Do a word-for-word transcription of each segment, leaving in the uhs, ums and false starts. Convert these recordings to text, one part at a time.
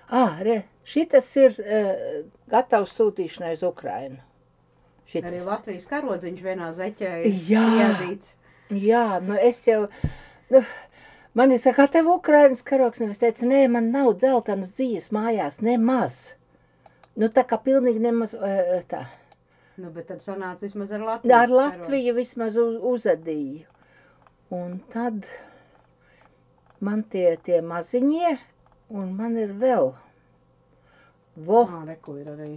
Ā, re, šitas ir uh, gatavs sūtīšanai uz Ukrainu. Šitas. Arī Latvijas karodziņš vienā zeķē jā, iedīts. Jā, nu es jau, nu, man ir saka, tev Ukrainas karoks, nevis teica, nē, man nav dzeltenas dzīves mājās, nemaz. Nu, tā kā pilnīgi nemaz, uh, tā. Nu, bet tad sanāca vismaz ar Latviju. Ar Latviju vismaz uz, uzadīju. Un tad man tie, tie maziņie, un man ir vēl. Vo. Ā, reku ir arī.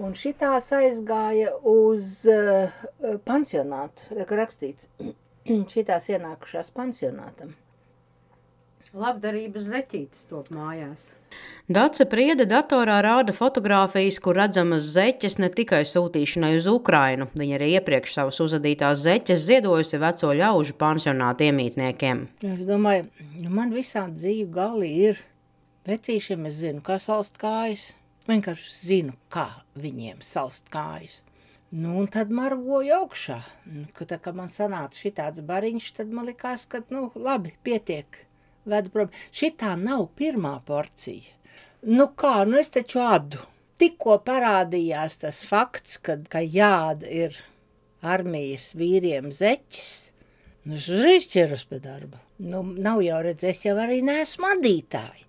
Un šitās aizgāja uz uh, pansionātu, reku rakstīts. Šitās ienākušās pansionātam. Labdarības zeķītes top mājās. Dace Priede datorā rāda fotogrāfijas, kur redzamas zeķes ne tikai sūtīšanai uz Ukrainu. Viņa arī iepriekš savas uzadītās zeķes ziedojusi veco ļaužu pansionātu iemītniekiem. Es domāju, man visādi dzīvu gali ir. Vecīšiem es zinu, kā salst kājas. Vienkārši zinu, kā viņiem salst kājas. Nu, un tad margoju augšā. Kad tā kā man sanāca šitāds bariņš, tad man likās, ka, nu, labi, pietiek. Vedu prom. Šitā nav pirmā porcija. Nu kā, nu es taču ādu. Tikko parādījās tas fakts, kad, ka jāda ir armijas vīriem zeķis. Nu es uzreiz ķeros pie darba. Nu nav jau redz, es jau arī neesmu adītāji.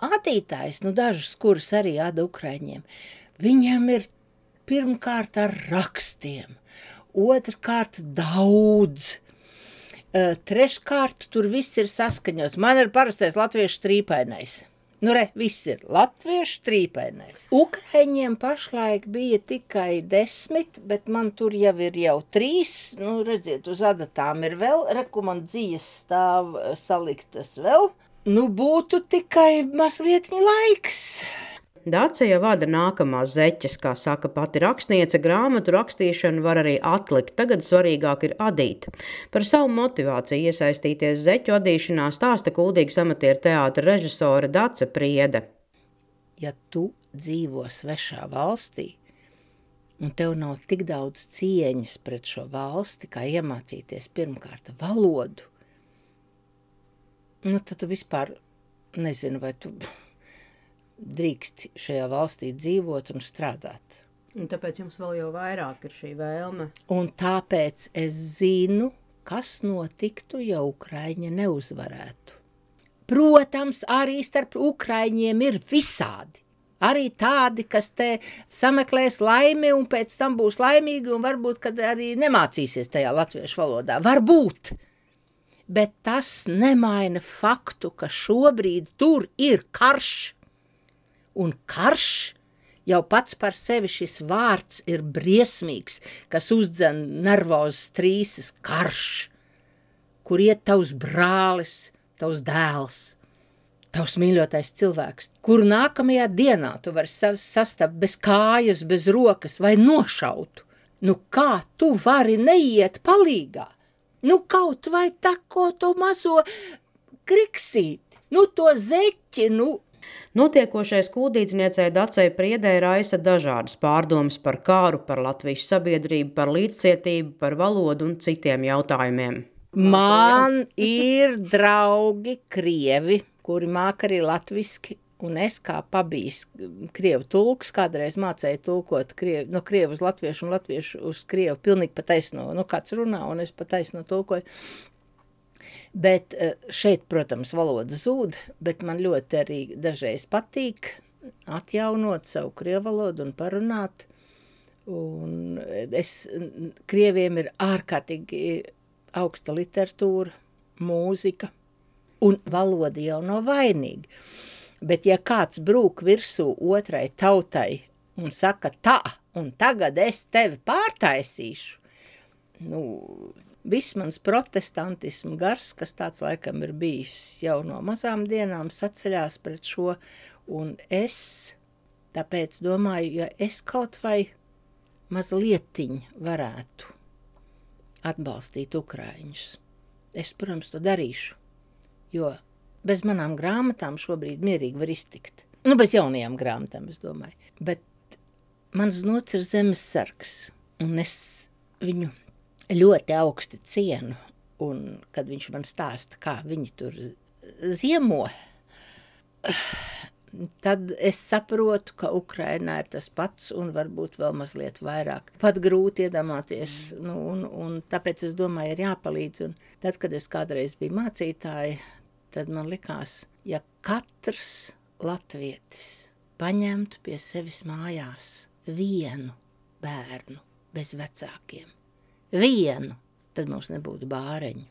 Adītājs, nu dažas, kuras arī āda Ukraiņiem, viņiem ir pirmkārt ar rakstiem, otrkārt daudz. Uh, treškārt, tur viss ir saskaņots. Man ir parastais latviešu trīpainais. Nu re, viss ir latviešu trīpainais. Ukraiņiem pašlaik bija tikai desmit, bet man tur jau ir jau trīs. Nu, redziet, uz adatām ir vēl, rekomendācijas stāv saliktas vēl. Nu, būtu tikai mazliet laiks. Dace jau vada nākamās zeķes, kā saka pati rakstniece, grāmatu rakstīšanu var arī atlikt, tagad svarīgāk ir adīt. Par savu motivāciju iesaistīties zeķu adīšanā stāsta kuldīgas amatieru teātra režisore Dace Priede. Ja tu dzīvo svešā valstī, un tev nav tik daudz cieņas pret šo valsti, kā iemācīties pirmkārt valodu, nu tad tu vispār nezinu, vai tu drīkst šajā valstī dzīvot un strādāt. Un tāpēc jums vēl jau vairāk ir šī vēlme. Un tāpēc es zinu, kas notiktu, ja Ukraiņa neuzvarētu. Protams, arī starp Ukraiņiem ir visādi. Arī tādi, kas te sameklēs laimi un pēc tam būs laimīgi un varbūt, kad arī nemācīsies tajā latviešu valodā. Varbūt. Bet tas nemaina faktu, ka šobrīd tur ir karš. Un karš jau pats par sevi šis vārds ir briesmīgs, kas uzdzen nervozes trīses karš, kur iet tavs brālis, tavs dēls, tavs mīļotais cilvēks, kuru nākamajā dienā tu vari sastapt bez kājas, bez rokas vai nošautu. Nu kā tu vari neiet palīgā? Nu kaut vai tako to mazo kriksīti, nu to zeķi, nu. Notiekošais kuldīdzniecei Dacei Priedei raisa dažādas pārdomas par kāru, par Latvijas sabiedrību, par līdzcietību, par valodu un citiem jautājumiem. Man ir draugi krievi, kuri māk arī latviski, un es kā pabijis krievu tulks, kādreiz mācēju tulkot krievu, no krievu uz latviešu un latviešu uz krievu, pilnīgi pa taisno, nu kāds runā, un es pa taisno tulkoju. Bet šeit, protams, valoda zūd, bet man ļoti arī dažreiz patīk atjaunot savu krievu valodu un parunāt. Un es, krieviem ir ārkārtīgi augsta literatūra, mūzika, un valoda jau nav vainīga. Bet ja kāds brūk virsū otrai tautai un saka tā, un tagad es tevi pārtaisīšu, nu, viss mans protestantismu gars, kas tāds laikam ir bijis jau no mazām dienām, saceļās pret šo, un es tāpēc domāju, ja es kaut vai mazlietiņ varētu atbalstīt ukraiņus, es, protams, to darīšu, jo bez manām grāmatām šobrīd mierīgi var iztikt. Nu, bez jaunajām grāmatām, es domāju. Bet mans nots ir zemes sargs, un es viņu ļoti augsti cienu, un kad viņš man stāsta, kā viņi tur ziemo, tad es saprotu, ka Ukrainā ir tas pats un varbūt vēl mazliet vairāk. Pat grūti iedomāties, nu, un, un tāpēc es domāju, ir jāpalīdz. Un tad, kad es kādreiz biju mācītāja, tad man likās, ja katrs latvietis paņemtu pie sevis mājās vienu bērnu bez vecākiem, vienu, tad mums nebūtu bāreņu.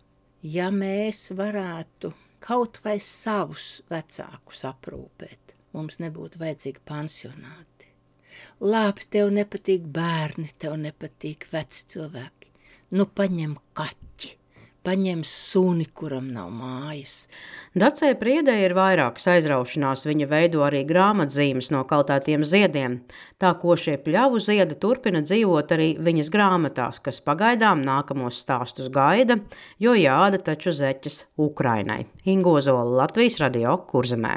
Ja mēs varētu kaut vai savus vecākus aprūpēt, mums nebūtu vajadzīgi pansionāti. Labi, tev nepatīk bērni, tev nepatīk veci cilvēki. Nu, paņem kaķi, paņem suni, kuram nav mājas. Dacei Priedei ir vairākas aizraušanās, viņa veido arī grāmatzīmes no kaltētiem ziediem. Tā košie pļavu ziedi turpina dzīvot arī viņas grāmatās, kas pagaidām nākamos stāstus gaida, jo jāda taču zeķes Ukrainai. Inga Ozola, Latvijas radio, Kurzemē.